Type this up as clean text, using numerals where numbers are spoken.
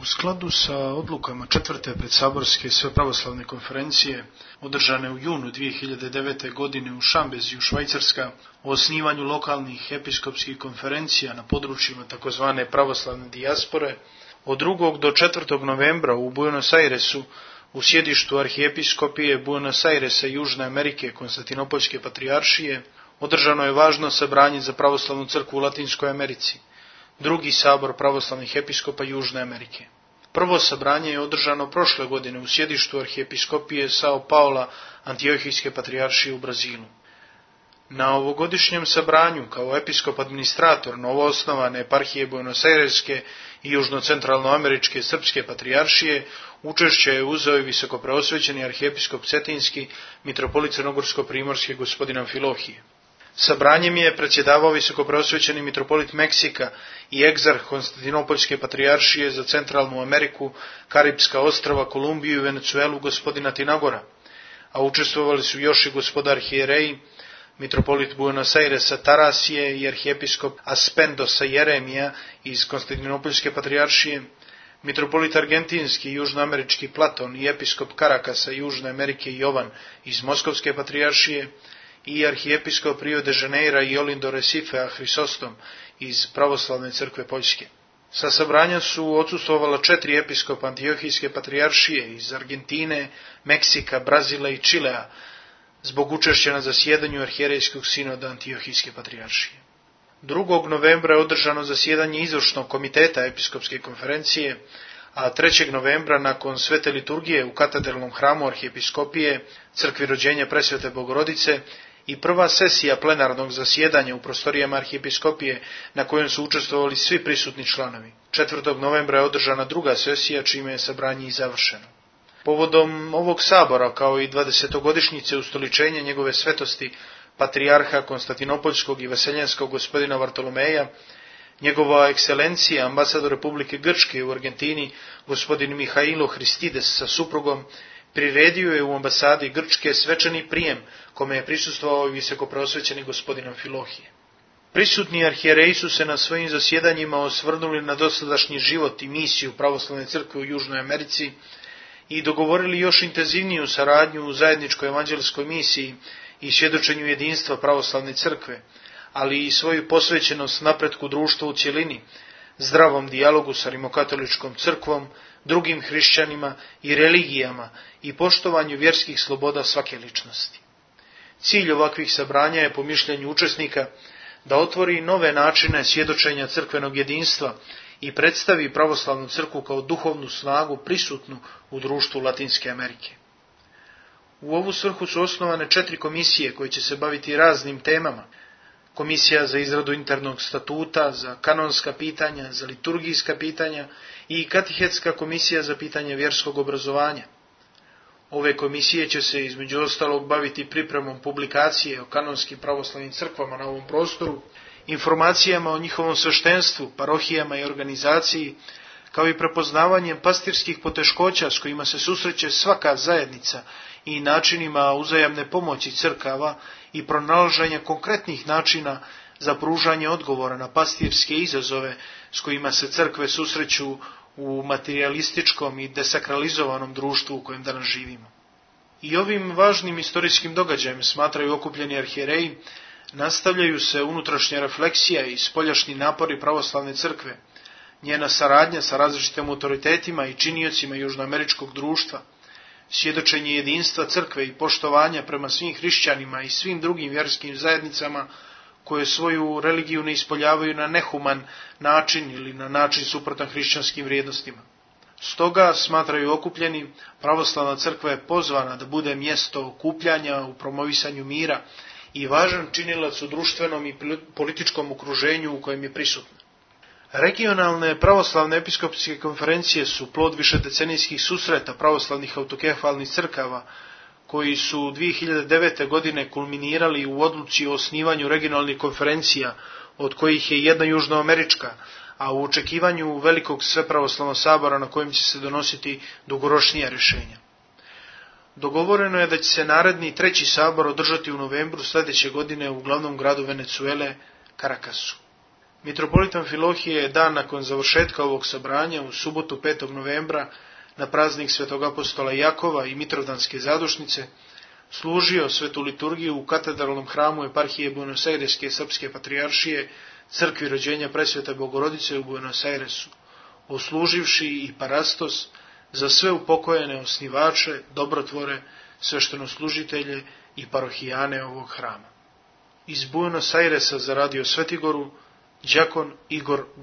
U skladu sa odlukama četvrte predsaborske svepravoslavne konferencije, održane u junu 2009. godine u Šambeziju, Švajcarska, o osnivanju lokalnih episkopskih konferencija na područjima tzv. Pravoslavne dijaspore, od 2. do 4. novembra u Buenos Airesu, u sjedištu arhijepiskopije Buenos Airesa i Južne Amerike Konstantinopoljske patrijaršije, održano je važno sabranje za pravoslavnu crkvu u Latinskoj Americi, drugi sabor pravoslavnih episkopa Južne Amerike. Prvo sabranje je održano prošle godine u sjedištu arhijepiskopije Sao Paula Antiohijske patrijaršije u Brazilu. Na ovogodišnjem sabranju, kao episkop administrator novoosnovane eparhije Buenos Aireske i južno-centralnoameričke srpske patrijaršije, učešće je uzeo i visokopreosvećeni arhijepiskop Cetinski, mitropolit crnogorsko-primorski gospodin Amfilohije. Sabranjem je predsjedavao visokopreosvećeni mitropolit Meksika i egzarh Konstantinopoljske patrijaršije za Centralnu Ameriku, Karipska ostrva, Kolumbiju i Venecuelu gospodina Tinagora, a učestvovali su još i gospodar arhijereji, mitropolit Buenos Airesa Tarasije i arhijepiskop Aspendosa Jeremija iz Konstantinopoljske patrijaršije, mitropolit argentinski i južnoamerički Platon i episkop Karakasa Južne Amerike Jovan iz Moskovske patrijaršije i arhijepiskop Rio de Janeira i Olindo Recifea Hrisostom iz Pravoslavne crkve Poljske. Sa sabranja su odsustvovala 4 episkopa Antiohijske patrijaršije iz Argentine, Meksika, Brazila i Čilea, zbog učešća na zasjedanju arhijerejskog sinoda Antiohijske patrijaršije. 2. novembra je održano zasjedanje izvršnog komiteta episkopske konferencije, a 3. novembra nakon svete liturgije u katedralnom hramu arhijepiskopije crkvi rođenja Presvete Bogorodice i prva sesija plenarnog zasjedanja u prostorijama arhijepiskopije na kojem su učestvovali svi prisutni članovi. 4. novembra je održana druga sesija čime je sabranje i završeno. Povodom ovog sabora, kao i 20-godišnjice ustoličenja njegove svetosti, patrijarha Konstantinopoljskog i Vaseljenskog gospodina Vartolomeja, njegova ekscelencija, ambasador Republike Grčke u Argentini, gospodin Mihailo Hristides sa suprugom, priredio je u ambasadi Grčke svečani prijem, kome je prisustvovao i visokopreosvećeni gospodin Amfilohije. Prisutni arhijereji su se na svojim zasjedanjima osvrnuli na dosadašnji život i misiju pravoslavne crkve u Južnoj Americi i dogovorili još intenzivniju saradnju u zajedničkoj evanđelskoj misiji i svjedočenju jedinstva pravoslavne crkve, ali i svoju posvećenost napretku društva u cjelini, zdravom dijalogu sa rimokatoličkom crkvom, drugim hrišćanima i religijama i poštovanju vjerskih sloboda svake ličnosti. Cilj ovakvih sabranja je, po mišljenju učesnika, da otvori nove načine svjedočenja crkvenog jedinstva i predstavi pravoslavnu crkvu kao duhovnu snagu prisutnu u društvu Latinske Amerike. U ovu svrhu su osnovane 4 komisije koje će se baviti raznim temama. Komisija za izradu internog statuta, za kanonska pitanja, za liturgijska pitanja i katehetska komisija za pitanje vjerskog obrazovanja. Ove komisije će se između ostalog baviti pripremom publikacije o kanonskim pravoslavnim crkvama na ovom prostoru, informacijama o njihovom sveštenstvu, parohijama i organizaciji, kao i prepoznavanjem pastirskih poteškoća s kojima se susreće svaka zajednica i načinima uzajamne pomoći crkava i pronalaženja konkretnih načina za pružanje odgovora na pastirske izazove s kojima se crkve susreću u materialističkom i desakralizovanom društvu u kojem danas živimo. I ovim važnim istorijskim događajem, smatraju okupljeni arhijereji, nastavljaju se unutrašnja refleksija i spoljašnji napori pravoslavne crkve, njena saradnja sa različitim autoritetima i činiocima južnoameričkog društva, svjedočenje jedinstva crkve i poštovanja prema svim hrišćanima i svim drugim vjerskim zajednicama koje svoju religiju ne ispoljavaju na nehuman način ili na način suprotan hrišćanskim vrijednostima. Stoga, smatraju okupljeni, pravoslavna crkva je pozvana da bude mjesto okupljanja u promovisanju mira i važan činilac u društvenom i političkom okruženju u kojem je prisutna. Regionalne pravoslavne episkopske konferencije su plod višedecenijskih susreta pravoslavnih autokefalnih crkava, koji su 2009. godine kulminirali u odluci o osnivanju regionalnih konferencija, od kojih je jedna južnoamerička, a u očekivanju velikog svepravoslavnog sabora na kojem će se donositi dugoročnija rješenja. Dogovoreno je da će se naredni 3. sabor održati u novembru sljedeće godine u glavnom gradu Venecuele, Caracasu. Mitropolita Amfilohije je dan nakon završetka ovog sabranja u subotu 5. novembra na praznik Svetog apostola Jakova i Mitrovdanske zadušnice služio svetu liturgiju u katedralnom hramu eparhije Buenos Aireske srpske patrijaršije crkvi rođenja Presvete Bogorodice u Buenos Airesu, osluživši i parastos za sve upokojene osnivače, dobrotvore, sveštenoslužitelje i parohijane ovog hrama. Iz Buenos Airesa za radio Svetigoru, đakon Igor Balazar.